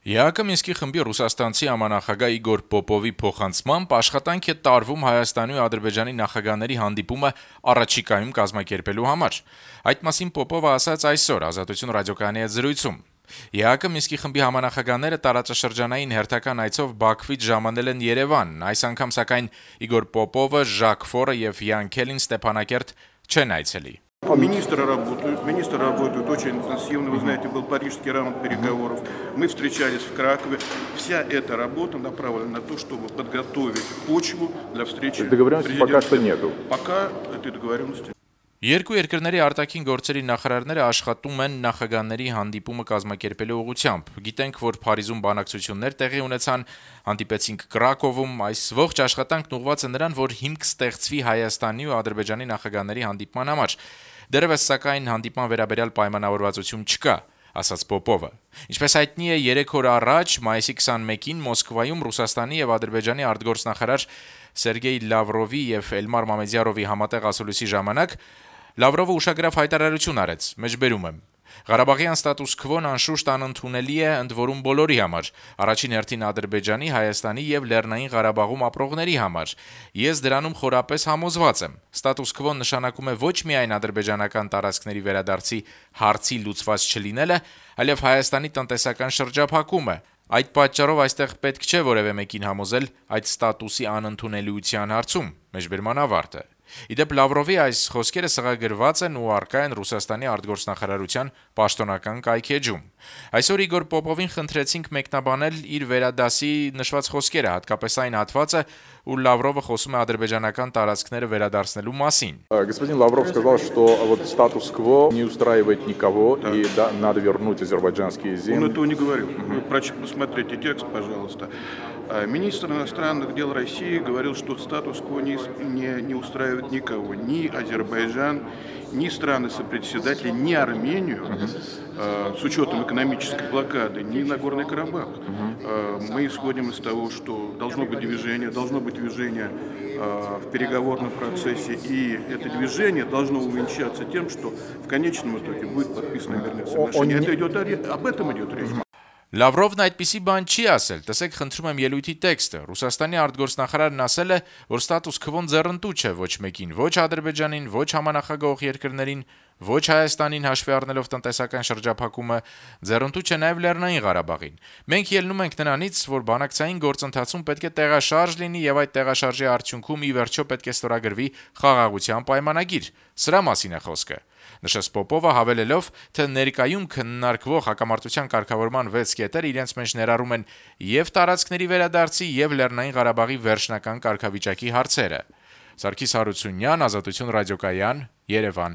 ԵԱՀԿ Մինսկի խմբի ռուսաստանցի համանախագահ Իգոր Պոպովի փոխանցմամբ աշխատանք է տարվում Հայաստանի ու Ադրբեջանի նախագահների հանդիպումը առաջիկայում կազմակերպելու համար։ Այդ մասին Պոպովը ասաց այսօր Ազատություն ռադիոկայանի հետ զրույցում։ ԵԱՀԿ Մինսկի խմբի համանախագահները տարածաշրջանային հերթական այցով Բաքվից ժամանել են Երևան։ Այս անգամ սակայն Իգոր Պոպովը, Ժակ Ֆորը եւ Յան Քելին Ստեփանակերտ չեն այցելի։ Министры работают очень интенсивно. Вы знаете, был парижский раунд переговоров. Мы встречались в Кракове. Вся эта работа направлена на то, чтобы подготовить почву для встречи. Договоренности пока что нету. Пока этой договоренности. Երկու երկրների արտաքին գործերի նախարարները աշխատում են նախագահների հանդիպումը կազմակերպելու ուղղությամբ։ Գիտենք, որ Փարիզում բանակցություններ տեղի ունեցան, հանդիպեցինք Կրակովում, այս ողջ աշխատանքն ուղղված է նրան, որ հիմք ստեղծվի Հայաստանի ու Ադրբեջանի նախագահների հանդիպման համար։ Դեռևս սակայն հանդիպման վերաբերյալ պայմանավորվածություն չկա, ասաց Պոպովը։ Ինչպես հայտնի է, 3 օր առաջ, մայիսի 21-ին Մոսկվայում Ռուսաստանի եւ Ադրբեջանի արտգործնախարար Սերգեյ Լավրովի եւ Էլմար Մամեդյարովի համատեղ ասուլիսի ժամանակ Լավրովը ուշագրավ հայտարարություն արեց, մեջբերում եմ. Ղարաբաղյան ստատուս քվոն անշուշտ անընդունելի է ընդ որում բոլորի համար, առաջին հերթին Ադրբեջանի, Հայաստանի եւ Լեռնային Ղարաբաղում ապրողների համար։ Ես դրանում խորապես համոզված եմ։ Ստատուս քվոն նշանակում է ոչ միայն ադրբեջանական տարածքների վերադարձի հարցի լուծված չլինելը, այլև Հայաստանի տնտեսական շրջափակումը։ Այդ պատճառով այստեղ պետք չէ որևէ մեկին համոզել այդ ստատուսի անընդունելիության հարցում, մեջբերման ավարտը։ Իդեպ Լավրովի այս խոսքերը սղագրված են ու առկա են Ռուսաստանի արտգործնախարարության պաշտոնական կայքեջում։ Այսօր Իգոր Պոպովին խնդրեցինք մեկնաբանել իր վերադասի նշված խոսքերը, հատկապես այն հատվածը, où Լավրովը խոսում է ադրբեջանական տարածքները վերադարձնելու մասին։ Господин Лавров сказал, что вот статус-кво не устраивает никого, и надо вернуть азербайджанские земли. Он этого не говорил. Вы посмотрите текст, пожалуйста. Министр иностранных дел России говорил, что статус-кво не устраивает никого. Ни Азербайджан, ни страны-сопредседатели, ни Армению, с учетом экономической блокады, ни Нагорный Карабах. Мы исходим из того, что должно быть движение в переговорном процессе, и это движение должно увенчаться тем, что в конечном итоге будет подписано мирное соглашение. Об этом идет речь. Լավրովն այդպիսի բան չի ասել, տեսեք խնդրում եմ ելույթի տեքստը, Ռուսաստանի արտգործնախարարն ասել է, որ ստատուս քվոն ձեռնտու չէ ոչ մեկին, ոչ Ադրբեջանին, ոչ համանախագահող երկրներին, ոչ Հայաստանին հաշվի առնելով տնտեսական շրջափակումը, ձեռնտու չէ նաև Լեռնային Ղարաբաղին։ Մենք ելնում ենք նրանից, որ բանակցային գործընթացում պետք է տեղաշարժ լինի եւ այդ տեղաշարժի արդյունքում ի վերջո պետք է ստորագրվի խաղաղության պայմանագիր։ Սրա մասին է խոսքը։ Նշեց Պոպովը հավելելով, թե ներկայում քննարկվող հակամարտության կարգավորման 6 կետեր իրենց մեջ ներառում են եւ տարածքների վերադարձի եւ Լեռնային Ղարաբաղի վերջնական կարգավիճակի հարցերը։ Սարգիս Հարությունյան, Ազատություն ռադիոկայան, Երևան։